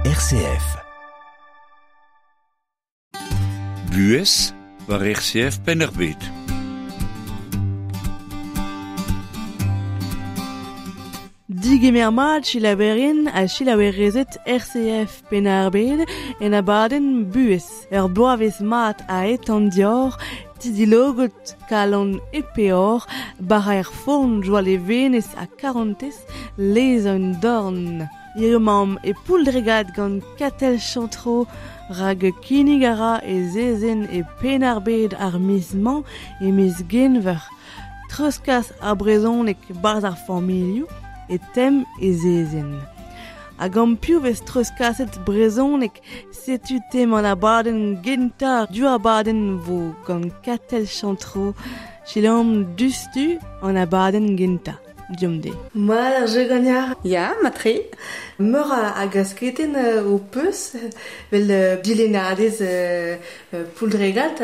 RCF. Buhez war RCF Penn-ar-Bed. Digemer mat chilaverien ha chilaverezet RCF Penn-ar-Bed en abadenn Buhez. Ur bloavezh mat a etan dior, tidilogot kalon e peor, bara er forn joa levenez ha karantez lez un dorn. Hirio mamm e pouldregad gant Katell Chantreau rag kinnig a ra e zezenn e Penn-ar-Bed ar miz-mañ e miz Genver. Treuzkas ar brezhoneg barzh ar familhoù e tem e zezenn. Ha gant piv vez treuzkaset brezhoneg setu tem an abadenn gentañ du abadenn vo gant Katell Chantreau Selaomp dustu an abadenn gentañ. Diomp de. Mat ar jeu gagnard. Ya, matre. Meur a, a gasketenn ho peus, vel dilennadez pouldregat,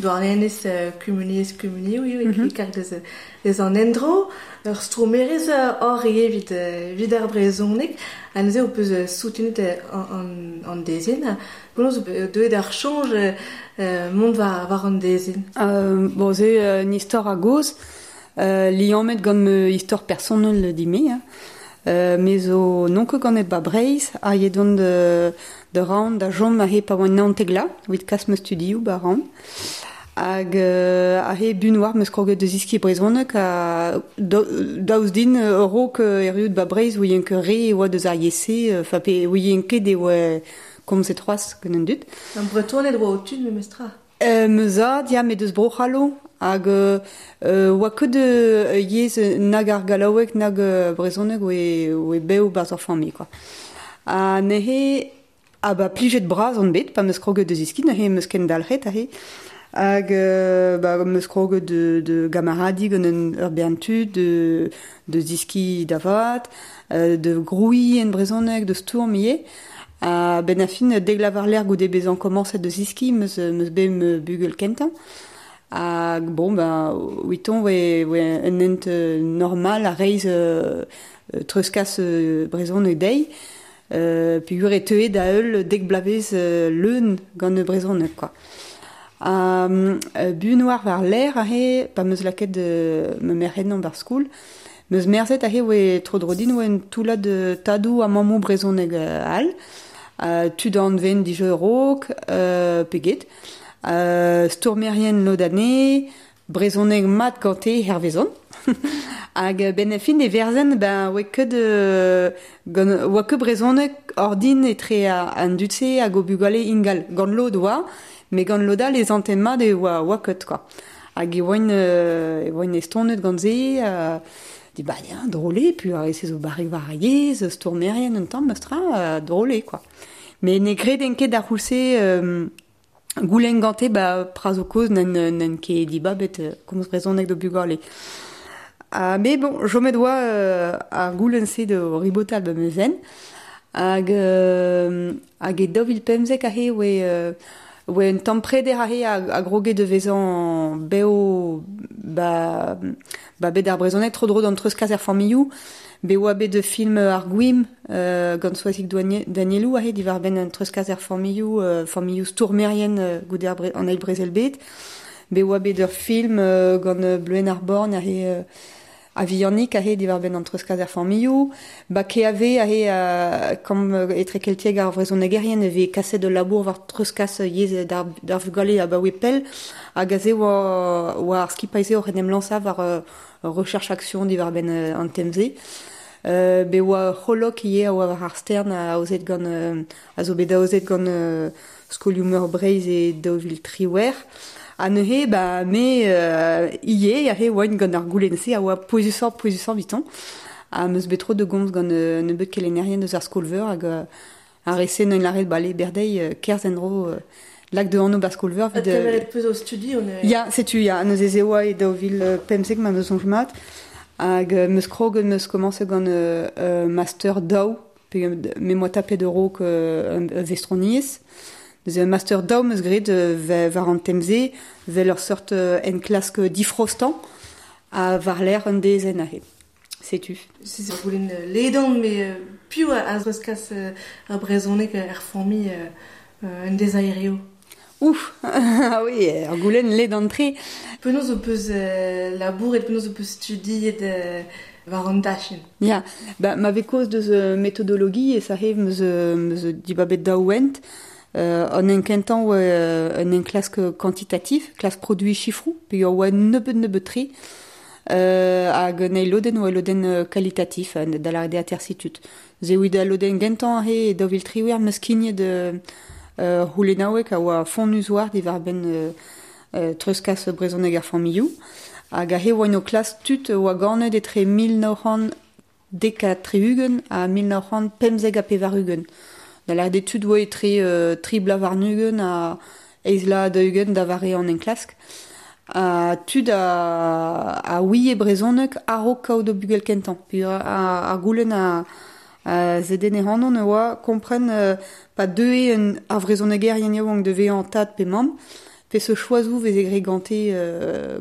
douarnenez kumuniezh kumunioù eo, mm -hmm. e karg deus, deus an endro. Ur stromerez hor eo evit, evit ar brezhoneg. Ha neuze ho peus soutenet an, an dezenn. Penaos deuet ar soñj mont war, war an dezenn? Bon, c'est une histoire a gozh. Liammet gant ma istor personel din-me. Hein. Me zo n'on ket ganet ba Breizh, ha edon da ran da chom aze pa oan naontek la, evit kas ma studioù ba ran. Hag aze bun war 'meus kroget da zeskiñ brezhoneg ha daoust din a-raok erruout ba Breizh ouien ket re e oa deus ar yezh-se, enfin pe ouien ket e oa komzet c'hoazh gant an dud. An Bretoned oa o tud memestra. Ma zad, ya, met deus Bro-C'hallo hag oa ket yezh nag ar gallaoueg nag brezhoneg oe bev 'barzh ur familh quoi. Ha neuze ha ba plijet bras on bet pa 'm eus kroget da zeskiñ neuze 'm eus kendalc'het aze hag ba 'm eus kroget da gamaradiñ gant ur bern tud da zeskiñ da vat, da grouiñ en brezhoneg, da stourm ivez. A-benn ar fin, dek lavar lec'h goude bezañ komañset da zeskiñ 'm eus 'm eus bet ma bugel kentañ. Hag bon ben 'witon oe oe un hent normal ha reizh treuzkas brezhoneg dezhi. Peogwir e teue da heul dek bloavezh leun gant brezhoneg quoi. Ha buan oar war-lerc'h aze pa 'm eus lakaet ma merc'h ennañ 'barzh skol, 'm eus merzet aze oe tro-dro din oa un toullad tadoù ha mammoù brezhoneg all, tud anven dija a-raok pe get, stourmerien lod anezhe, brezhoneg mat gante hervezon. Hag benn ar fin e verzen ben oa ket gant oa ket brezhoneg ordin etre an dud-se hag o bugale ingal. Gant lod oa, met gant lod all e santen mat e oa oa ket quoi. Hag e oaint e oaint estonet gant se di ba ya drôle eo puis ar re-se zo barrek war ar yezh, stourmerien un tamm meus-tra, drôle eo quoi. Met ne greden ket d'ar c'houlz-se goulenn gante ba pra zo kozh n'en ket dibabet komz brezhoneg d'o bugale. Ha me bon, chomet oa ar goulenn-se da ribotal ba ma zen. Hag hag e 2015 aze oe oe un tamm preder aze a groge da vezañ bev ba ba bed ar brezhoneg tro-dro d'an treuzkas er familhoù. Bet oa bet film ar Gwim gant Soazig Danielou aze diwar-benn an treuzkas er familhoù, familhoù stourmerien goude ar an eil brezel-bed. Bet oa bet ur film gant Bleuenn ar Born aze a-vihanik aze diwar-benn an treuzkas er familhoù. Ba KAV aze kamp etrekeltiek ar vrezhonegerien e vez kaset ul labour war treuzkas yezh d'ar vugale abaoe pell. Hag aze oa oa ar skipailh-se oc'h en em lañsañ war recherche action diwar-benn an tem-se. Bet oa ur c'holok ivez a oa war ar stern aozet gant a zo bet aozet gant Skolioù-meur Breizh e 2018. Ha neuze ba me ivez aze oaint gant ar goulenn-se a oa pouezusoc'h pouezusañ evitañ. Ha 'm eus bet tro da gomz gant un nebeud kelennerien eus ar skol-veur hag ar re-se neuint lâret bale berdeiz kerzh en-dro lak da anv 'ba skol-veur evit Kemeret peus o studi on Ya, setu ya, neuze ez oa e 2015 ma 'm eus soñj mat. Hag 'm eus kroget, 'm eus komañset gant master daou pe me 'moa tapet a-raok ur vestroniezh. Neuze un master daou 'm eus graet war an tem-se, 'vel ur seurt enklask difrostañ ha war-lerc'h un dezenn aze. Setu. Se ur goulenn ledan, met piv a treuzkas ar brezhoneg er familh en dezaerioù? Ouf, ah oui, ur goulenn ledan-tre. Penaos ho peus labouret, penaos ho peus studiet war an dachenn? Ya, ba, ma vez kaoz deus metodologiezh aze meus meus dibabet daou hent. An enkentañ oa un enklask quantitatif, klask produiñ sifroù, peogwir oa nebeut-nebeut-tre. Hag un eil lodenn oa lodenn kalitatif, da lâret eo atersitud. Se evit al lodenn gentañ aze e 2018 meus skignet c'houlennaoueg a oa fonnus war diwar-benn treuzkas brezhoneg ar familhoù. Hag aze oa o klask tud oa ganet etre 1970 ha 1995. Da lâret eo tud oa etre tri bloaz warn-ugent ha eizh vloaz daou-ugent da vare an enklask. Ha tud a ouie brezhoneg a-raok kaout o bugel kentañ. Peogwir ar goulenn a zedenne ac'hanon e oa kompren pa deue ar vrezhonegerien yaouank da vezañ tad pe mamm, peseurt choazoù veze graet gante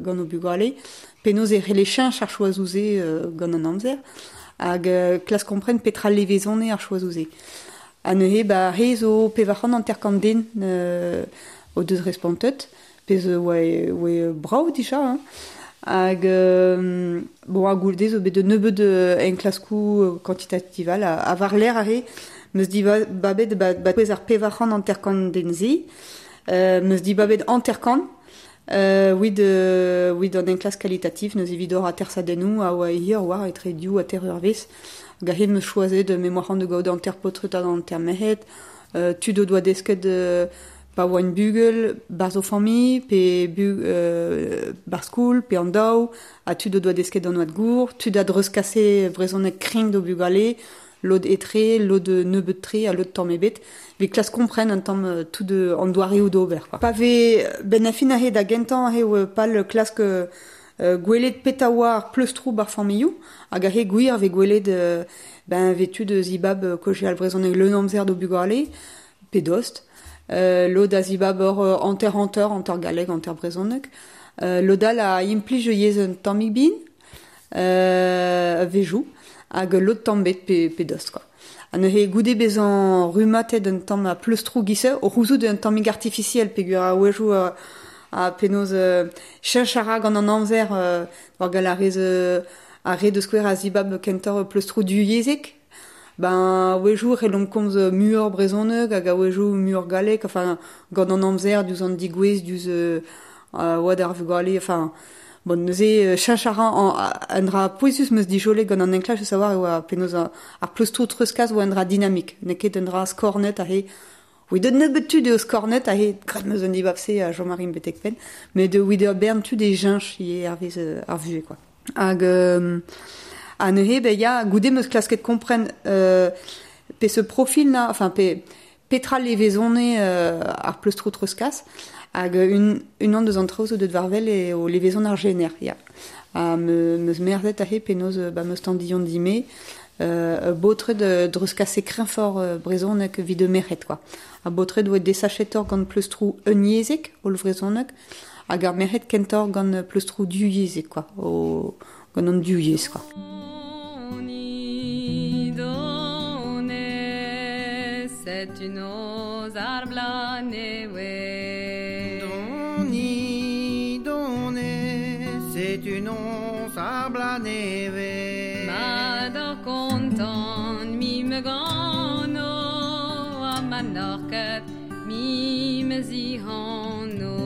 gant o bugale, penaos e c'helle cheñch ar choazoù-se gant an amzer, hag klask kompren petra levezone ar choazoù-se. Ha neuze, ba, re zo 450 den o deus respontet, pezh oa oa brav dija, hein. Hag bon, ha goude zo bet un nebeud enklaskoù quantitativ all, ha war-lerc'h aze, meus dibabet ba, ba pouez ar 450 den-se, meus dibabet 50 evit evit an enklask kalitatif, neuze evit ober atersadennoù a oa hir war etre div ha teir eurvezh. Hag aze meus choazet me 'oa c'hoant da gaout hanter paotred hag hanter merc'hed, tud o doa desket pa oant bugel, 'barzh o familh, pe 'barzh skol, pe an daou, ha tud o doa desket an oad gour, tud a dreuzkase brezhoneg kreñv d'o bugale, lod etre, lod nebeut-tre ha lod tamm ebet, evit klask kompren un tamm tout an doareoù d'ober, quoi. Pa vez benn ar fin aze da gentañ eo pal klask gwelet petra oa ar pleustroù b'ar familhoù, hag aze gwir vez gwelet ben vez tud zibab kaozeal brezhoneg leun amzer d'o bugale, pe dost. Lod a zibab ur hanter-hanter, hanter galleg, hanter brezhoneg. Lod all a implij yezh un tammig bihan, a-wezhioù, hag lod tamm bet pe dost, quoi. Ha neuze goude bezañ rummatet un tamm a pleustroù giz-se, o c'houzout un tammig artifisiel peogwir a-wezhioù ha penaos cheñch a ra gant an amzer war gall ar rez ar re da skouer a zibab kentoc'h pleustroù duyezhek. Ben a-wezhioù e c'hellomp komz muioc'h brezhoneg hag a-wezhioù muioc'h galleg, enfin gant an amzer diouzh an degouezh, diouzh oad ar vugale, enfin bon neuze cheñch a ra un dra pouezus 'm eus dijolet gant an enklask da savoir e oa penaos ar pleustroù treuzkas oa un dra dinamik, n'eo ket un dra skornet aze. Evit un nebeud tud eo skornet aze, graet 'm eus un dibab-se ha chom a rin betek penn, met evit ur bern tud e cheñch ivez hervez ar vuhez, quoi. Hag ha neuze ben ya, goude 'm eus klasket kompren peseurt profil na, enfin pe petra levezone ar pleustroù treuzkas, hag unan deus an traoù zo deuet war-wel eo levezon ar jener, ya. Ha 'm eus merzet aze penaos ba 'm eus tandillon dime baotred dreuzkase kreñvoc'h brezhoneg evit merc'hed, quoi. Ar baotred oa desachetoc'h gant pleustroù unyezhek, hollvrezhoneg, hag ar merc'hed kentoc'h gant pleustroù duyezhek, quoi, o gant an div yezh, quoi. Setu noz ar bloaz nevez. Doni, done, setu noz ar bloaz nevez. Mar doc'h kontant, mi me gano, ha ma n'oc'h ket, mi me zihano.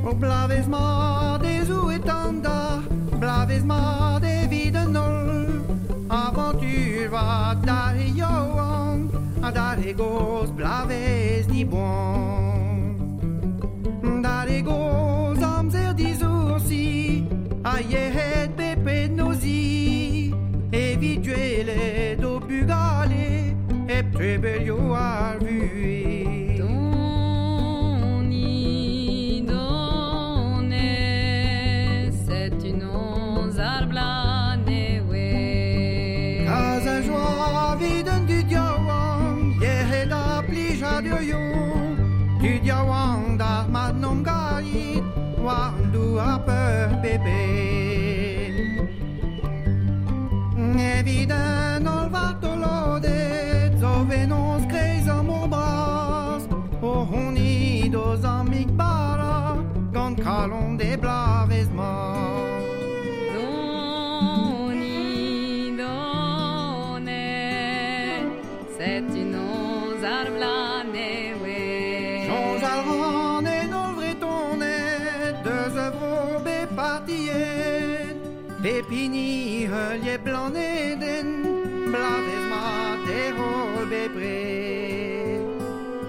O bloavezh mat e zo etan da, bloavezh mat evit an holl. Avantur vat d'ar re yaouank ha d'ar re gozh bloavezh diboan. D'ar re gozh amzer disoursi ha yec'hed bepred 'n o zi. Evit gwelet o bugale hep trebelioù ar vuhez. Doni, done, setu noz ar bloaz nevez. plijadur Tud yaouank d'ar mat n'om garit War an douar peur bebe Evit un ol vartolodet Zo venoz kreiz an mor bras O honi doz amik bara Gant kalon de blavez ma Doni, done, c'est une oz ar blanewe. Soñjal ran en ol vretonet Deus œuvro be partiet Pepini heuliet blaneden Blavez ma terol bepred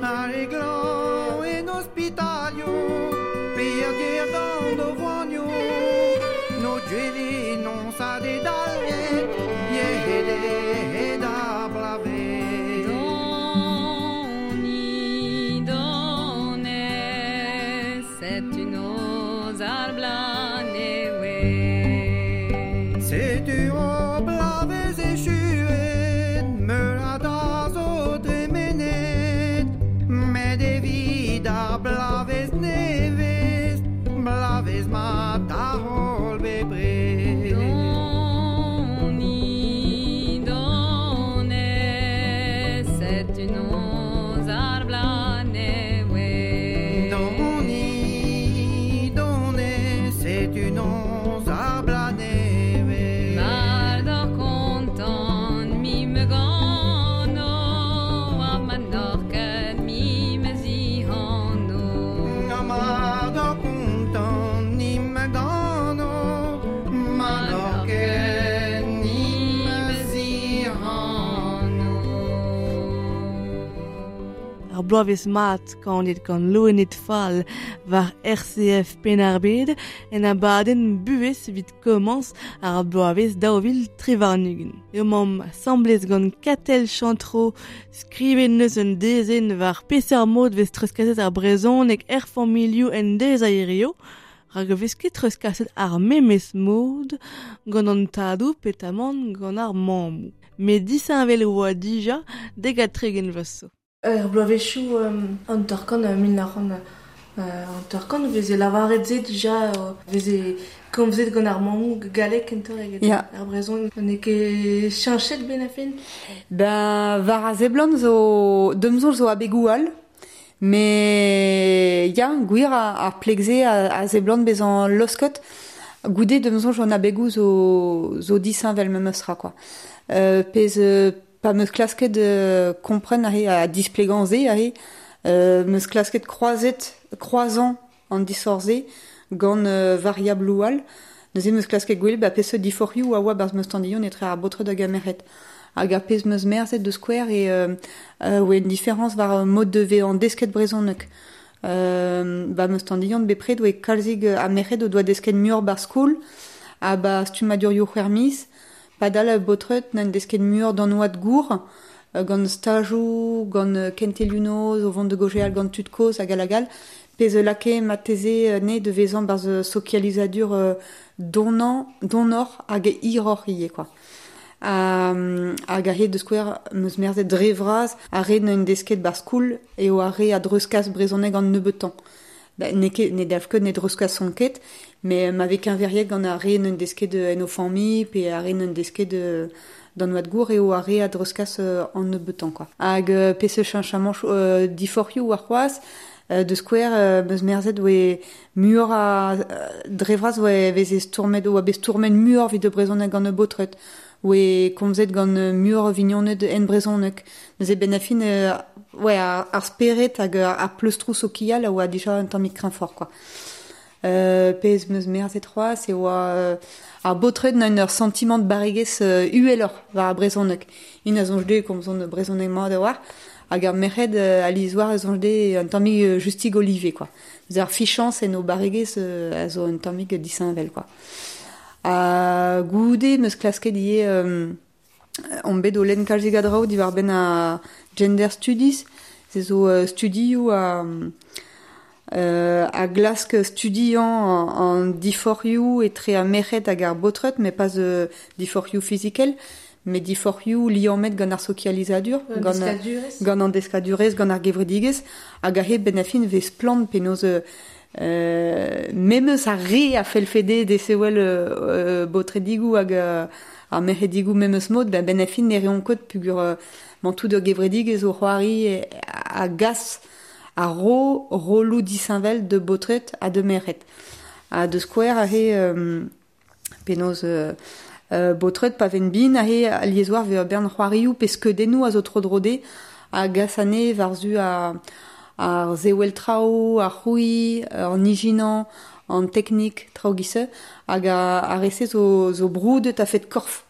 Ar e glan en hospitalio Perdir gant o voanio No duele non sa de dalret Yehede da blavez Doni, done, c'est une oz ar blanewe. Setu o blavez echuet Meur a da zo dremenet Met evit ar blavez nevez Blavez mat ar holl bepred Doni, done, c'est une oz ar blanewe. Doni, done, setu noz ar blanevez Mar d'or kontant mi me gano A ma norket mi me zihano A mar d'or kontant ni me gano Ma norket ni me zihano Ar bloavezh mat kanet gant loened fall war RCF Penarbed en abadenn buhez evit komañs ar bloavezh daouvil trevarnugent. Eo mamm asamblez gant Katell Chantreau skrivet neus un dezenn war peseurt mod vez treuzkaset ar brezhoneg er familhoù en deiz a hirio, rak vez ket treuzkaset ar memes mod gant an tadoù petamant gant ar mammoù. Met disheñvel oa dija dek ha tregent vloaz zo. Ar bloavezhioù an torkan mil nac'hant an torkan veze lavaret se dija veze komzet gant ar mammoù galleg kentoc'h eget Ya. ar brezhoneg. N'eo ket cheñchet ben a fin? Ben, war a seblant zo demzon zo abegoù all, mais ya, gwir ar plegze a seblant bezañ losket, goude demzon an abegoù zo disheñvel memes tra, quoi. Pezh pa meus klasket kompren aze a displegañ se aze, meus klasket kroazan an disoc'h-se gant variabloù all. Neuze meus klasket gwell ba peseurt diforc'hioù a oa barzh meus tandillon etre ar baotred hag ar merc'hed. Hag ar pezh meus merzet de skouer e oa une différence war mod de vezañ desket brezhoneg. Ba meus tandillon bepred oa kalzig ar merc'hed o doa desket muioc'h bar skol ha ba stummadurioù c'hwec'h miz. Padal a baotred n'en desket muioc'h d'an oad gour, gant stajoù, gant kentelioù noz, o vont de gojeal gant tud kozh hag all hag all. Pezh lakae mateze ne de vezañ barzh sokializadur donor hag hiroc'h ivez, quoi. Hag a-hed de skouer meus merzet dre vras ar re n'en desket bar skoul eo ar re a dreuzkas brezhoneg an nebeutañ. Ba, n'eo ket, ne dalv ket ne dreuzkas son ket, mais ma vez keñveriet gant ar re n'en desket en o familh pe ar re n'en desket d'an oad gour eo ar re a dreuzkas an nebeutañ, quoi. Hag peseurt cheñchamant diforc'hioù war c'hoazh, de skouer meus merzet oe muioc'h a dre vras oe veze stourmet, oa bet stourmet muioc'h evit brezhoneg gant baotred, oe komzet gant muioc'h vignoned en brezhoneg. Neuze ben a fin ouais, ar spered hag ar pleustroù sokial a oa dija un tammig kreñvoc'h, quoi. Pezh meus merzet c'hoazh e oa ar baotred n'a ur sentiment de barregezh uheloc'h war ar brezhoneg. Int a soñj dezhe komzont brezhoneg mat a-walc'h, hag ar merc'hed a lizoar a soñj dezhe un tammig justig olive, quoi. Neuze ar fichañs en o barregezh a zo un tammig disheñvel, quoi. Ha goude meus klasket ivez on bet o lenn kalzig a draoù diwar-benn a gender studies, se zo studioù a glask studiañ an diforc'hioù etre ar merc'hed hag ar baotred, met pas diforc'hioù fizikel, met diforc'hioù liammet gant ar sokializadur, gant an deskadurezh, gant ar gevredigezh, hag aze benn ar fin 'vez splann penaos memes ar re a fellfe dezhe desevel baotredigoù hag ar merc'hedigoù memes mod, benn ar fin ne reont ket peogwir mañ tout ur gevredigezh o c'hoari a gas a ro rolloù disheñvel de baotred ha de merc'hed. Ha de skouer aze penaos baotred pa vent bin aze alies-war 'vez ur bern c'hoarioù pe skeudennoù a zo tro-dro dezhe a gas anezhe war-zu ar sewel traoù, ar c'hrouiñ, an ijinañ, an teknik, traoù giz-se, hag ar re-se zo broudet a-fet korf.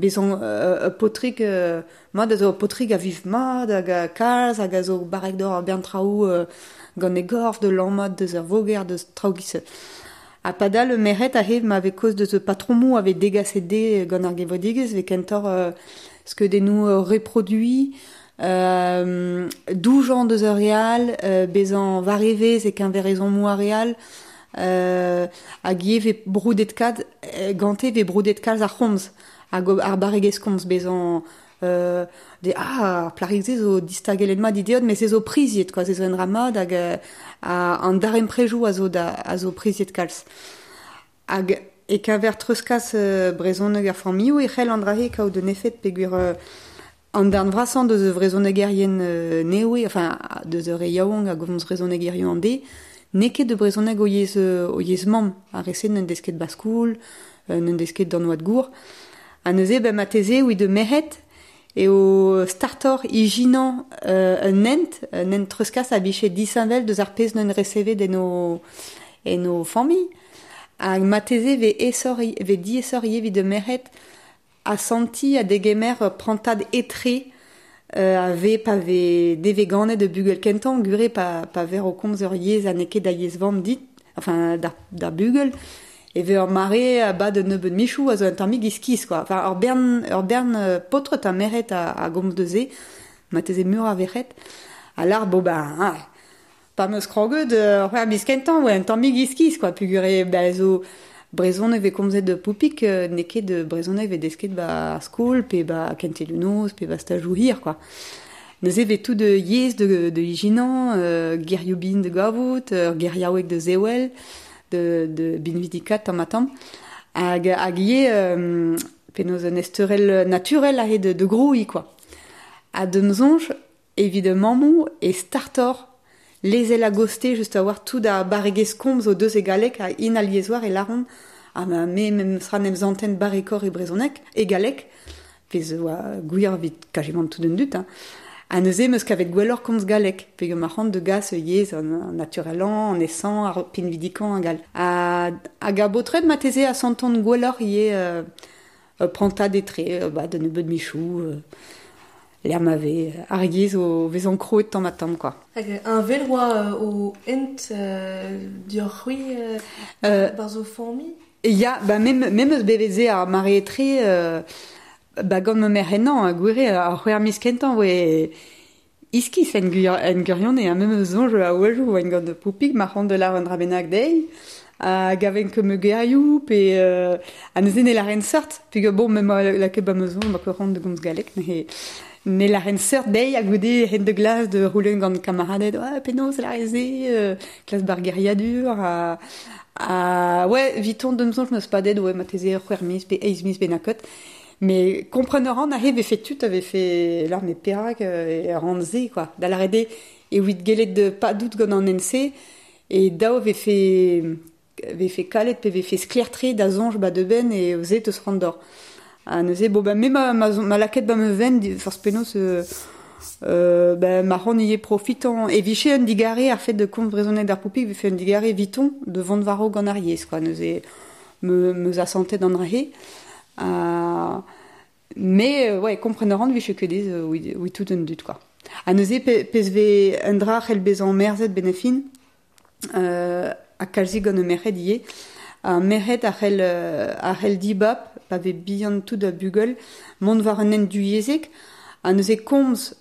Bezañ ur paotrig mat a zo ur paotrig a viv mat hag a kalz hag a zo barrek d'ober ur bern traoù gant e gorf, da lammat deus ar voger, deus traoù giz-se. Ha padal ur merc'hed aze ma vez kaoz deus patromoù a vez degaset dezhe gant ar gevredigezh, 'vez kentoc'h skeudennoù reproduiñ, doujañ deus ar re all, bezañ war evezh e-keñver ezhommoù ar re all, hag ivez 'vez broudet kalz gante 'vez broudet kalz ar c'homz hag ar barregezh komz bezañ de ah ar plac'hig-se zo distagellet mat he deod met se zo priziet quoi, se zo un dra mat hag an darempredoù a zo da a zo priziet kalz. Hag e-keñver treuzkas brezhoneg ar familhoù e c'hell an dra-se kaout un efed peogwir an darn vrasañ deus vrezhonegerien nevez, enfin deus ur re yaouank a gomz brezhoneg hiziv an deiz, n'eo ket de brezhoneg o yezh o yezh mamm. Ar re-se n'en dez ket ba skol, n'en dez ket d'an oad gour. Ha neuze ben marteze evit de merc'hed eo startoc'h ijinañ un hent, un hent treuzkas a vije disheñvel deus ar pezh n'en resevet en o en o familh. Hag marteze 'vez aesoc'h 'vez diaesoc'h ivez evit de merc'hed asantiñ ha degemer ur prantad etre a vez pa vez nevez ganet ur bugel kentañ gure pa ver o komz ur yezh ha n'eo ket da yezh vamm dit, enfin d'ar bugel, e vez ur mare a-bad un nebeud michoù a zo un tammig iskis quoi. Enfin ur bern paotred ha merc'hed a gomz deus se, marteze muioc'h a verc'hed. Ha lar bon ben pa 'm eus kroget c'hwec'h miz kentañ oa un tammig iskis quoi peogwir eo ba zo brezhoneg 'vez komzet de poupig n'eo ket brezhoneg 'vez desket 'ba ar skol pe 'ba kentelioù noz pe 'ba stajoù hir quoi. Neuze 'vez tout yezh de ijinañ, gerioù bihan da gavout, ur geriaoueg da sevel, de binvidikaat tamm-ha-tamm. Hag ivez penaos un ezteurel naturel aze de grouiñ quoi. Ha d'am soñj evit mammoù e startoc'h lezel a-gostez just a-walc'h tout ar barregezh komz o deus e galleg ha int alies-war e lâront ah ma me memes tra 'n em santen barrekoc'h e brezhoneg, e galleg, pezh oa gwir evit kazimant tout an dud hein. Ha neuze 'm eus kavet gwelloc'h komz galleg peogwir ma c'hoant da gas ur yezh an naturelañ, an esañ, ar pinvidikañ hag all. Hag ar baotred marteze a santont gwelloc'h ivez ur prantad etre ba da nebeud michoù lec'h ma vez ar yezh o vezañ krouet tamm-ha-tamm quoi. Hag heñvel oa o hent dioc'h-c'hwi barzh ho familh? Ya, ba mem eus bevet se ar mare etre ba gant ma merc'h henañ gwir eo ar c'hwec'h miz kentañ oa iskis en gwirionez ha mem eus soñj a-wechoù oan gant Poupig ma c'hoant da lâret un dra bennak dezhi a gaven ket ma gerioù pe ha neuze ne lâren seurt peogwir bon me 'ma lakaet ba ma soñj ma ket c'hoant da gomz galleg neuze ne lâren seurt dezhi ha goude hent da glas da c'houlenn gant kamaraded ah penaos lâret se klas ba'r geriadur ha ouais 'viton d'am soñj 'm eus padet ouais marteze c'hwec'h miz pe eizh miz bennaket. Mais kompren a ran aze 'vefe tud a vefe lâr met perak e ran se quoi. Da lâret eo evit gellet padout gant an hent-se e dav vefe kalet pe vefe sklaer-tre da soñj ba da benn eo se 'teus c'hoant d'ober. Ha neuze bon ben me ma lakaet ba ma fenn forzh penaos ben ma c'hoant ivez profitañ e vije un digarez ar fait de komz brezhoneg d'ar poupig 'vefe un digarez eviton de vont war-raok gant ar yezh quoi. Neuze me 'meus asantet an dra-se. Mais ouais, kompren a ran 'vije ket aes evit tout an dud quoi. Ha neuze pezh 'vez un dra c'hell bezañ merzet benn ar fin, ha kalzik gant ar merc'hed ivez, ar merc'hed a c'hell dibab pa vez bihan tout ar bugel mont war un hent duyezhek ha neuze komz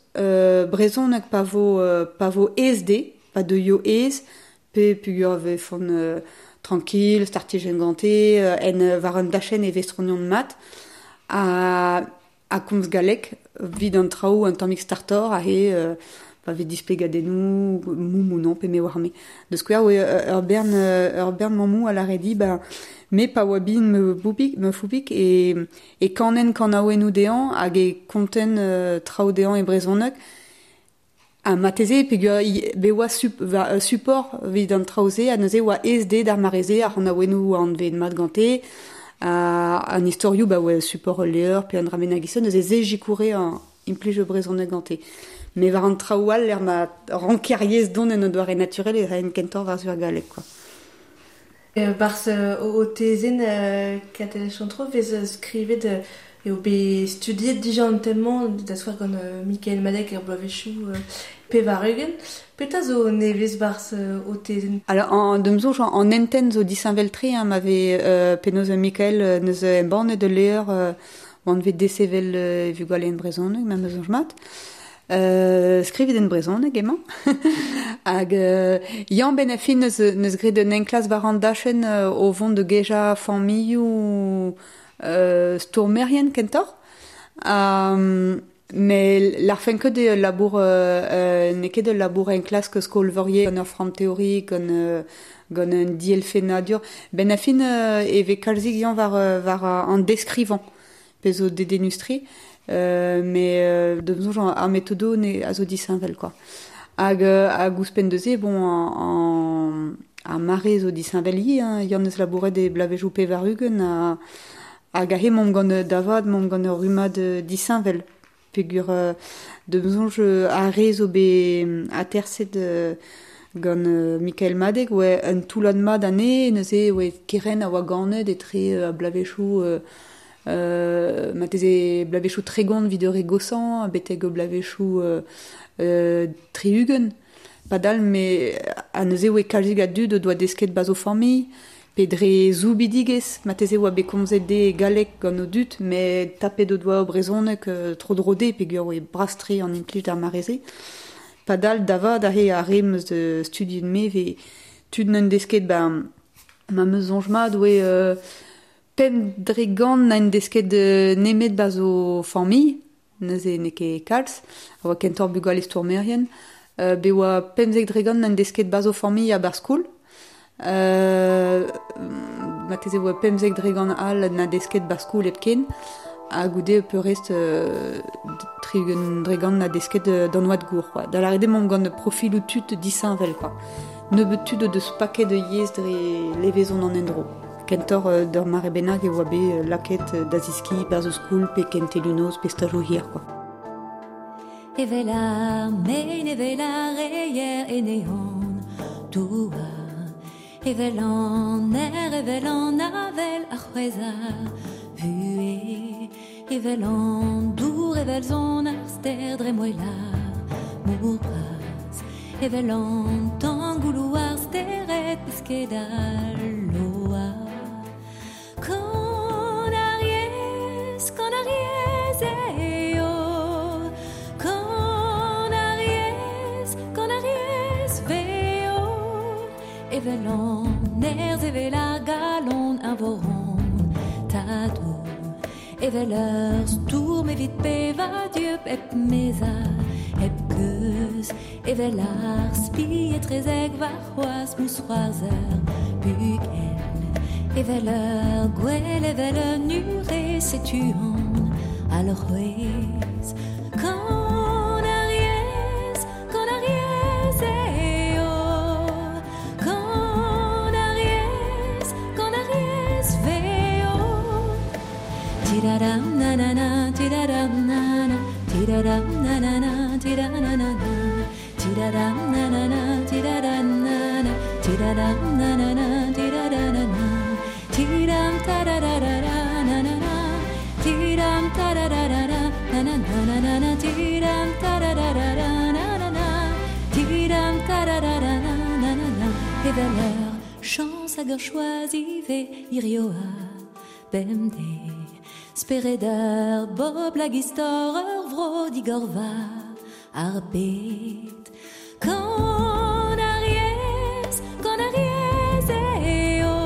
brezhoneg pa vo aes dezhe, pa deuio aes, pe peogwir e vefont tranquille, startijenn gante, en war un dachenn e vestroniont mat. Ha a komz galleg vid an traoù un tammig startor a he pa vez displegadennoù moumou non pe me war me. De skouer oe ur bern mammou a lare di ba me pa oa bin me boubik me foubik e kanen kanaouennoù dezhañ hag e konten traoù dezhañ e brezhoneg ha mateze peogwir be oa support evit an traoù-se ha neuze oa aes dezhe d'ar mare-se ar c'hanaouennoù oa anvet mat gante an istorioù ba oa support ul levr pe un dra bennak e-se neuze se zikoure an implij brezhoneg gante. Mais war an traoù all er ma ranker yezh dont en o doare naturel e raen kentoc'h war-zu ar galleg quoi. Barzh o tezenn Katell Chantreau vez skrivet eo bet studiet dija an tem-mañ da skouer gant Mikael Madeg er bloavezhioù 80. Petra zo nevez barzh o tezenn? Alors en d'am soñj an hentenn zo disheñvel-tre hein, ma vez penaos Mikael neus embannet ul levr oan vet desevel e vugale en brezhoneg, ma 'm eus soñj mat. Skrivet en brezhoneg emañ. Hag Yann benn ar fin neus graet un enklask war an dachenn o vont da gejañ familhoù stourmerien kentoc'h. Mais larfen ket eo ul labour n'eo ket ul labour enklask skol-veurier gant ur framm teorik, gant un dielfennadur. Benn ar fin e vez kalzik Yann war an deskrivañ pezh zo dedennus-tre. Mais d'am soñj ar metodoù a zo disheñvel quoi. Hag hag ouzhpenn da-se bon ar mare zo disheñvel ivez hein. Yann eus labouret e bloavezhioù 80 hag aze 'momp gant da vat 'momp gant ur rummad disheñvel peogwir d'am soñj ar re zo bet aterset gant Mikael Madeg oa un toullad mat anezhe neuze oa kerent a oa ganet etre bloavezhioù marteze bloavezhioù 30 evit ur re goshañ betek bloavezhioù 60. Padal me ha neuze oa kalzik a dud o doa desket 'barzh o familh pe dre soubidigezh marteze oa bet komzet dezhe e galleg gant o dud met tapet o doa o brezhoneg tro-dro dezhe peogwir oa bras-tre an implij d'ar mare-se. Padal da vat aze ar re 'm eus studiet me 'vez tud 'neunt desket 'ba ma 'm eus soñj mat oa 5% n'int desket nemet 'barzh o familh, neuze n'eo ket kalz, a oa kentoc'h bugale stourmerien. Bet oa 15% n'int desket 'barzh o familh ha 'barzh skol. Marteze oa 15% all n'a desket 'barzh skol hepken. Ha goude peurrest 60% n'a desket d'an oad gour quoi. Da lâret eo 'maomp gant profiloù tud disheñvel quoi. Nebeut tud o deus paket o yezh dre levezon an endro. Kentoc'h d'ur mare bennak e oa bet lakaet da zeskiñ 'barzh o skol pe kentelioù noz pe stajoù hir quoi. Evel ar mein, evel ar reier ene an douar, evel an aer, evel an avel a c'hwezh ar vuhez, evel an dour, evel son ar stêr dre moel ar mor bras, evel an tan gouloù ar stered pesked al loar. Kan ar yezh, kan ar yezh eo, kan ar yezh, kan ar yezh veo, evel an nerzh, evel ar galon eñvor hon tadoù, evel ur stourm evit bevañ dieub hep mezañ, hep keuz, evel ar spi etrezek warc'hoazh mousc'hoarzh ur bugel. Evel ur gwel, evel un ure, setu an alc'hwez. Kan ar yezh, kan ar yezh eo. Kan ar yezh, kan ar yezh veo. Tiraram nanana, tiraram nana, tiraram nanana, tiranana, tiraram nanana, tiraram nana, tiraram nanana, tiraranana. Tiram tararara na na na, tiram tararara na na na na na, tiram tararara na na na, tiram tararara na na na na. Evel ur chañs hag ur choaz ivez hirio ha bemdez. Spered ur bobl hag istor ur vro digor war ar bed. Kan ar yezh, kan ar yezh eo.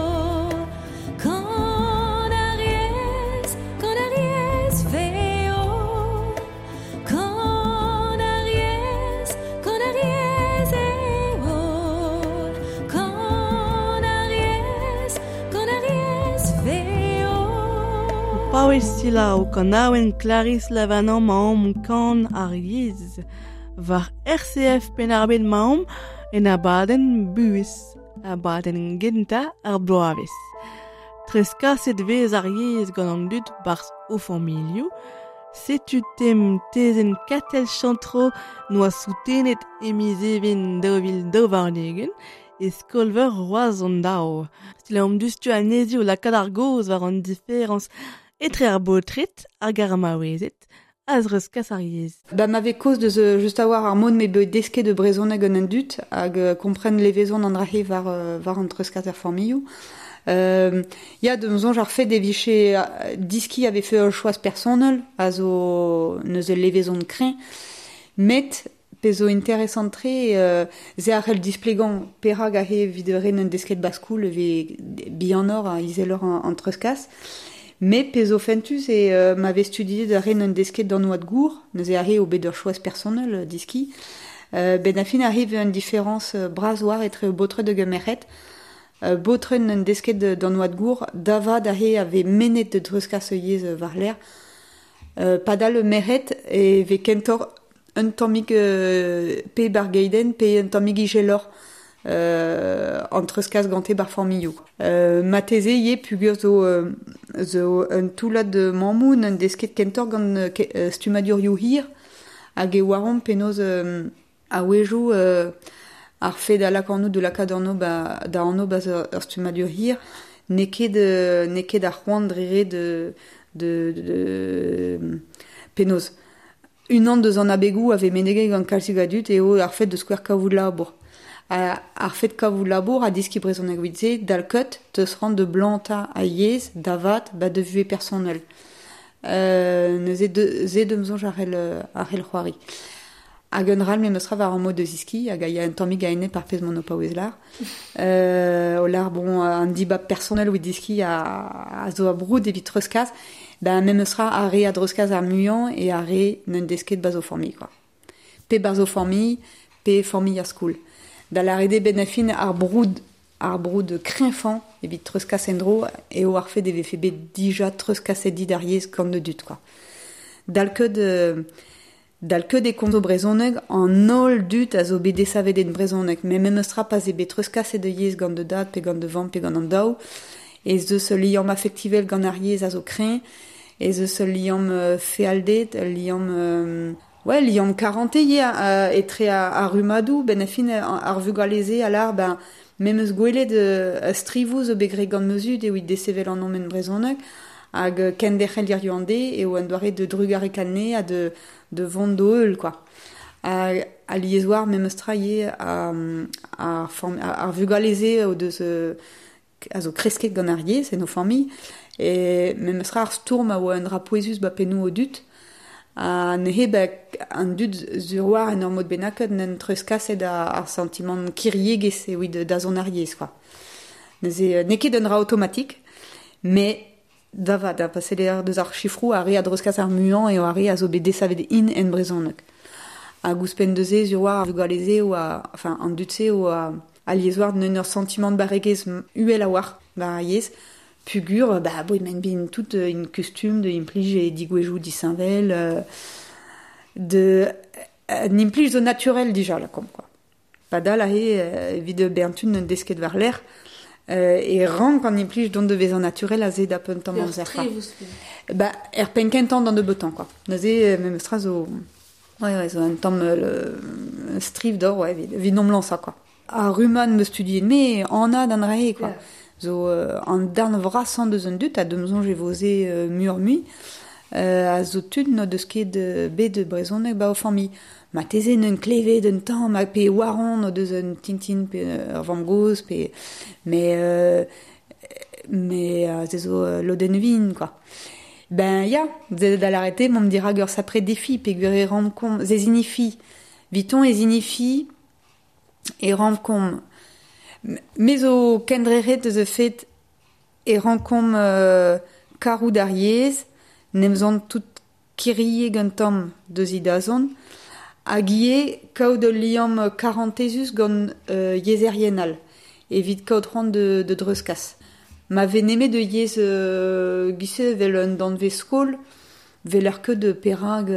Kan ar yezh, kan ar yezh veo. paouez selaou kanaouenn Clarisse Lavanant maomp kan ar yezh. War RCF Penn-ar-Bed maomp en abadenn buhez, abadenn gentañ ar bloavezh. Treuzkaset 'vez ar yezh gant an dud 'barzh o familhoù. Setu tem tezenn Katell Chantreau 'noa soutenet e miz Even 2022 e skol-veur Roazhon daou. Selaomp diouzhtu anezhi o lakaat ar gaoz war an diferañs etre ar baotred hag ar maouezed a zreuzkas ar yezh. Ba ma vez kaoz deus just a-walc'h ar mod m'eo bet desket de brezhoneg gant an dud hag kompren levezon an dra-se war war an treuzkas er familhoù. Ya, d'am soñj ar fed e vije diskiñ a vefe ur choaz personel a zo neuze levezon kreñv. Met pezh zo interesant-tre se a c'hell displegañ perak aze evit ren un desket baskoul e vez bihanoc'h ha izeloc'h an treuzkas. Met pezh zo fentus eo ma vez studiet ar ren un desket d'an oad gour, neuze aze eo bet ur choaz personel diskiñ. Ben a fin arrive un différence bras war etre baotred hag merc'hed. Baotred un desket d'an oad gour, davad aze a vez mennet da dreuzkas yezh war-lerc'h. Padal merc'hed e vez kentoc'h un tammig pe bar geidenn pe un tammig ijeloc'h an treuzkas gante bar familhoù. Marteze ivez peogwir zo zo un toullad mammoù n'en desket kentoc'h gant stummadurioù hir hag e oaromp penaos a-wezhioù ar fed a lak anv da lakaat anv ba da anv 'ba ur stummadur hir n'eo ket n'eo ket ar c'hoant dre ret de de penaos. Unan deus an abegoù a vez meneget gant kalzik a dud eo ar fed da skouer kavout labour. Ar fed kavout labour ha deskiñ brezhoneg evit se dal ket teus c'hoant da blantañ ar yezh da vat ba da vuhez personel. Neuze se d'am soñj a c'hell c'hoari. Hag un dra all memes tra war ar mod da zeskiñ hag a ya un tammig a-enep ar pezh m'on o paouez lâr. O lâr bon an dibab personel evit deskiñ a zo a-broud evit treuzkas, ben memes tra ar re a dreuzkas ar muiañ eo ar re n'en desket 'ba zo familh quoi. Pe 'barzh o familh, pe familh ar skol. Da lâret eo benn ar fin ar broud kreñvañ evit treuzkas en-dro eo ar fed e vefe bet dija treuzkaset dit ar yezh gant an dud quoi. Dal ket e komzo brezhoneg an holl dud a zo bet desavet en brezhoneg. Met memes tra pa'z eo bet treuzkaset da yezh gant da dad pe gant da vamm pe gant an daou, ez eus ul liamm afektivel gant ar yezh a zo kreñv, ez eus ul liamm fealded, ul liamm ouais, liamm karantez ivez etre ar rummadoù, benn ar fin ar vugale-se a lâr ben memes gwelet strivoù zo bet graet gant ma zud evit desevel an en brezhoneg hag kenderc'hel hiziv an deiz eo un doare de drugarekaat anezhe ha de vont d'o heul quoi. Alies war memes tra ivez ar vugale-se o deus a zo kresket gant ar yezh en o familh e memes tra ar stourm a oa un dra pouezus ba pennoù o dud ha neuze ba an dud sur war en ur mod bennaket n'en treuzkaset ar santimant kiriegezh evit dazont ar yezh quoi. Neuze n'eo ket un dra automatik met da vat, pa seller deus ar sifroù ar re a dreuzkas ar muiañ eo ar re a zo bet desavet int en brezhoneg. Hag ouzhpenn deus-se sur war ar vugale-se oa, enfin an dud-se oa alies war n'en ur santimant barregezh uhel a-walc'h war ar yezh, peogwir ba bo emaint bet tout in kustum de implij e digouezhioù disheñvel de un implij zo naturel dija lakaomp quoi. Padal aze evit bezañ un desket war-lerc'h e rank an implij dont da vezañ naturel aze da un tamm amzer quoi. Ba er penn kentañ d'an nebeutañ quoi. Neuze memes tra zo ouais, zo un tamm striv d'or ouais, evit n'omp lañsañ quoi. Ar rummad 'm eus studiet me anat an dra-se quoi. Zo an darn vrasañ deus an dud ha d'am soñj e vo se muioc'h-mui a zo tud n'o deus ket bet brezhoneg ba o familh. Marteze n'eus klevet un tamm ha pe oaron o deus un tintin pe ur vamm-gozh pe mais se zo lodenn vin quoi. Ben ya, da lâret eo m'omp dirak ur sapre defi peogwir e rankomp se zinifi. Viton e zinifi e rankomp me zo kendrec'het eus ar fed e rankomp karout ar yezh, n'em zont tout kiriek un tamm deus he dazont, hag ivez kaout ul liamm karantezus gant yezherien all, evit kaout c'hoant de dreuzkas. Ma ve nemet de yez gise vel un danvez skol, vel ar ket de perag,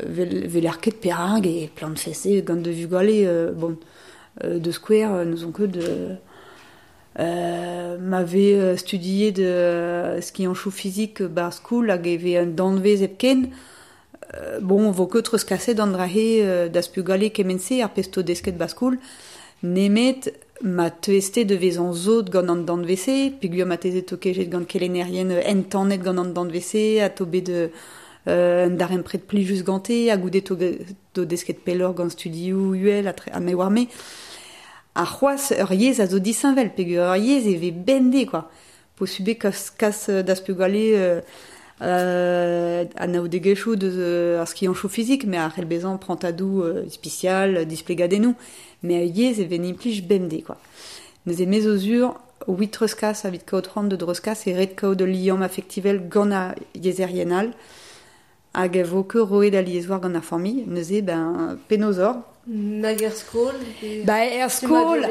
vel ar ket perag e plan fese gant de vugale, bon, de square, nous on ket de... ma ve studié de skianchou physique bar school hag e ve un danvez hepken, bon, vo ket treus kaset an drahe das pugale kemense ar pesto desket bar school, nemet ma teste de vez an zot gant an danvese, peogwir ma teze tokejet gant kelennerien entanet gant an danvese, a to bet de un darempred plijus gante, a goude to desket pellor gant studioù uhel a me war me. A c'hoaz ur yez a zo disheñvel, peogwir ur yez e ve bende, quoi. Posube kas das pugale an aoudegezhioù deus ar skianchoù fizik, mais ar c'hell bezañ prantadou spesial, displegadennoù, mais ur yez e ve implij bemdez, quoi. Neuze me zo zur, wit treuzkas evit kaout c'hoant de dreuzkas e ret kaout ul liamm affektivel gant ar yezherien all, hag e vo ket roet al yezh war gant ar familh, neuze ben penaos Nag er skol? Ba er skol,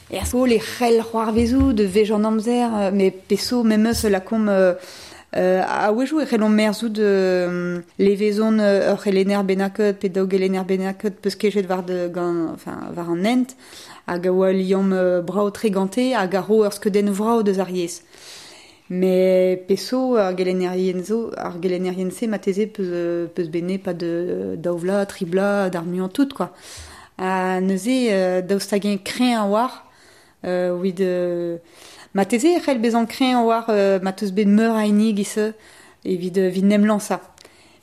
e c'hell c'hoarvezoù de vej an amzer, mais peso memes lakomp a-wezhioù e c'hellomp merzout levezon ur c'helenner bennaket pe daou gelenner bennaket peus kejet war de gant, enfin, war an hent, hag a oa liamm brao tre gante hag a ro ur skeudenn vrao deus ar yezh. Mais peso ar gelennerien zo, ar gelennerien se ma teze peus bene pas de daouvla, tribla, d'ar muiañ tout, quoi. A neuze daoust hag-eñ kreñv a war, wit ma teze e c'hell bezañ kreñv a war ma teus bet meur a hini giz evit evit nem lansañ.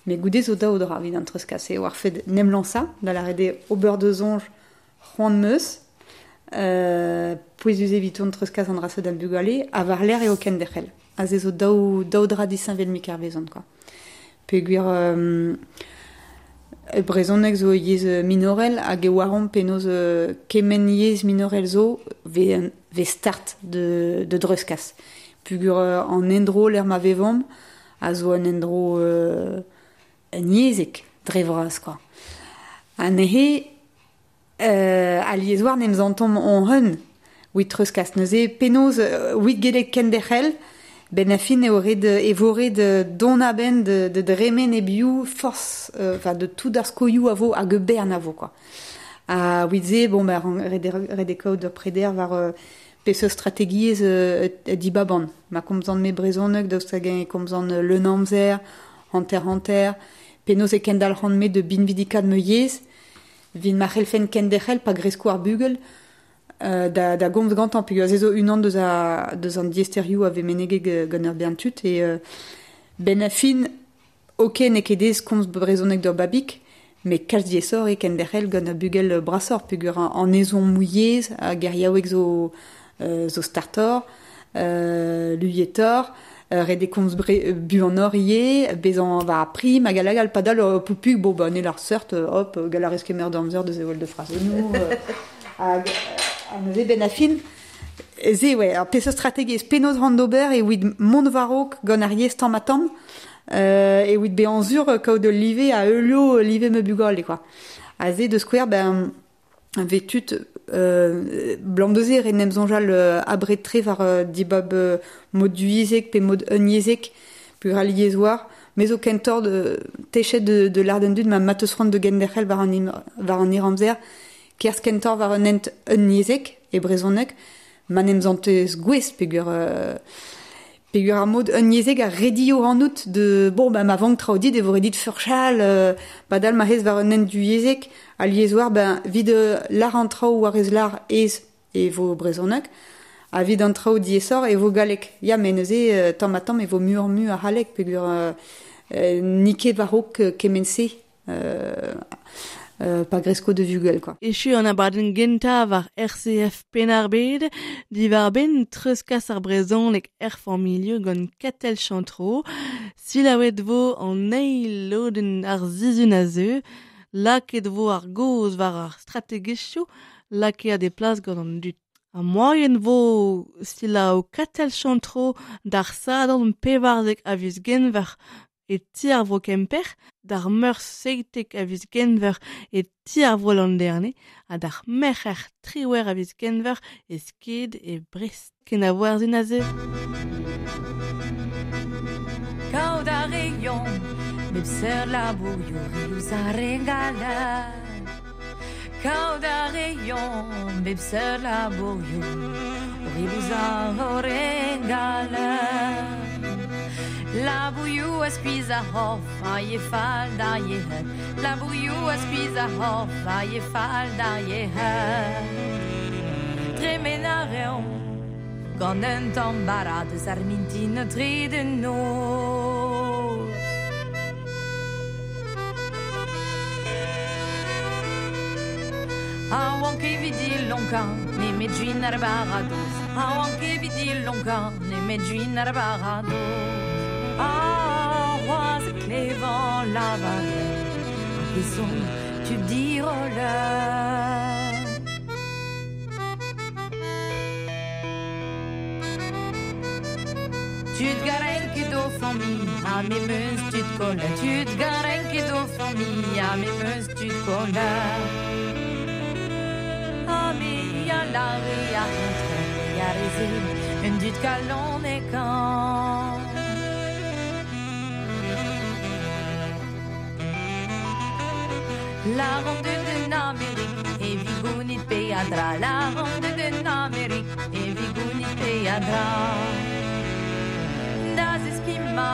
Mais goude zo daou dra evit an treuzkas eo war fed nem lansañ, da lâret eo ober deus soñj c'hoant meus, pouezus evit an treuzkas an dra-se d'an bugale, ha war l'air eo kenderc'hel. A ze zo daou dra disheñvel mik ar vezont, quoi. Peogwir brezhoneg zo yezh minorel hag e oaromp penaos kement yezh minorel zo ve start de dreuzkas. Peogwir an endro l'er ma vevomp a zo an endro un yezhek dre vras, quoi. Ha neuze al yezh war n'em zantomp on hun wit treuzkas. Neuze penaos wit gellet kenderc'hel, ben a fin eo ret e vo ret don a-benn de dremen e biou force, enfin de tout ar skoioù a vo hag bern a vo, quoi. A wit se, bon, ben, ret e kaout ur preder war peseurt strategiezh dibaban. Ma komzan me brezhoneg, daoust hag-eñ e komzan leun amzer, hanter-hanter, penaos e kendalc'han me de binvidikat me yezh, vin ma c'hellfen kenderc'hel pa gresko ar bugel, da gomz gantañ, peogwir se zo unan deus an diesterioù a ve menegek gant ur bern tud, e ben a fin, ok, n'eo ket aes komz brezhoneg d'ur babig, mais kalz diesor e kenderc'hel gant ur bugel brasoc'h, peogwir an ezhommoù yezh hag geriaoueg zo startor, luietor, ret e komz buanoc'h ivez, bezañ war ar prim hag hag al padal poupug, bon, ba, ne lar seurt, hop, gall a rez kemer d'amzer deus evel de frazennoù, hag neuze ben a fin, ze, ouais, ar peseurt strategiezh penaos ran d'ober e wit mont war-raok gant ar yezh tamm ha tamm, e wit bezañ zur kaout ul live a heulio live me bugale, quoi. A ze de skouer, ben, vet tud blam deus eo nem soñjal abred tre war dibab mod duizek pe mod unyezhek peogwir al yezh war, me zo kentoc'h de techet de lâret dud ma mateus c'hoant de genderc'hel war an iramzer, kerzh kentoc'h war un hent unyezhek e brezhoneg, ma n'em zantez gwez peogwir peogwir ar mod unyezhek a redio an out de bon ben ma vank traoù dit e vo redit furchal padal ma hez war un hent duizek al yezh war ben vid lar an traoù war ez lar ez e vo brezhoneg ha vid an traoù diesor e vo galleg. Ya, mais neuze tamm ha tamm e vo muioc'h mu a c'halleg peogwir n'eo ket war-raok kement-se pa gresko de vugel, quoi. Echu an abadenn gentañ war RCF Penn-ar-Bed, diwar-benn treuzkas ar brezhoneg er familh gant Katell Chantreau, selaouet vo an eil lodenn ar sizhun a zeu, lakaet vo ar gaoz war ar strategiezhioù lakaet e plas gant an dud. Ha moaien vo selaou Katell Chantreau d'ar Sadorn 14 a viz Genver e ti ar vro Kemper. D'ar meurzh 17 a viz Genver e ti ar vro Landerne ha d'ar merc'her 18 a viz Genver e sked e Brest. Ken a voarzin aze. Kaout a reont, bep seurt labourioù riouz ar regala. Kaout a reont, bep seurt labourioù riouz ar regala. La bouillou a skuiz a horf, a ye fall da ye head. La bouillou a skuiz a horf, a ye fall da ye head. Tremen a reont, gant un tamm bara deus ar mintin tre de noz. A oan ket evit lonkañ, nemet juin ar baradoz. A oan ket evit lonkañ, nemet juin ar baradoz. Ah, c'hoazh e klevan lavaret, hag e son tud diroller. Tud garen ket o familh, ha me meus tud koller. Tud garen ket o familh, ha me meus tud koller. Ha me a lare a entre, a reze, un dud kalon e kan. La ronde de l'Amérique e vigounit peadra. La ronde de l'Amérique e vigounit peadra. Da zeskima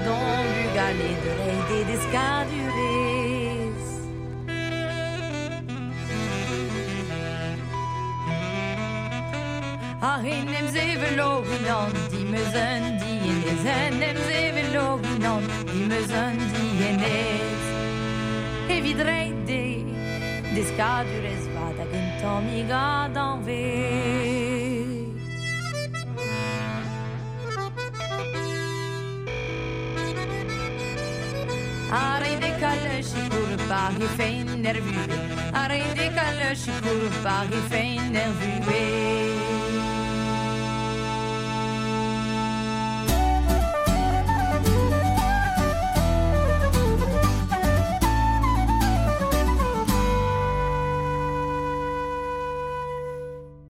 don bugale de reide deskadurez. A enem zevelo unan, dimeus un dienez. Enem zevelo unan, dimeus un dienez. Evit reide deskadurez vat hag un tammig adanvez. A reide kalle sikour par he fein nervue. A reide kalle sikour par he fein nervue.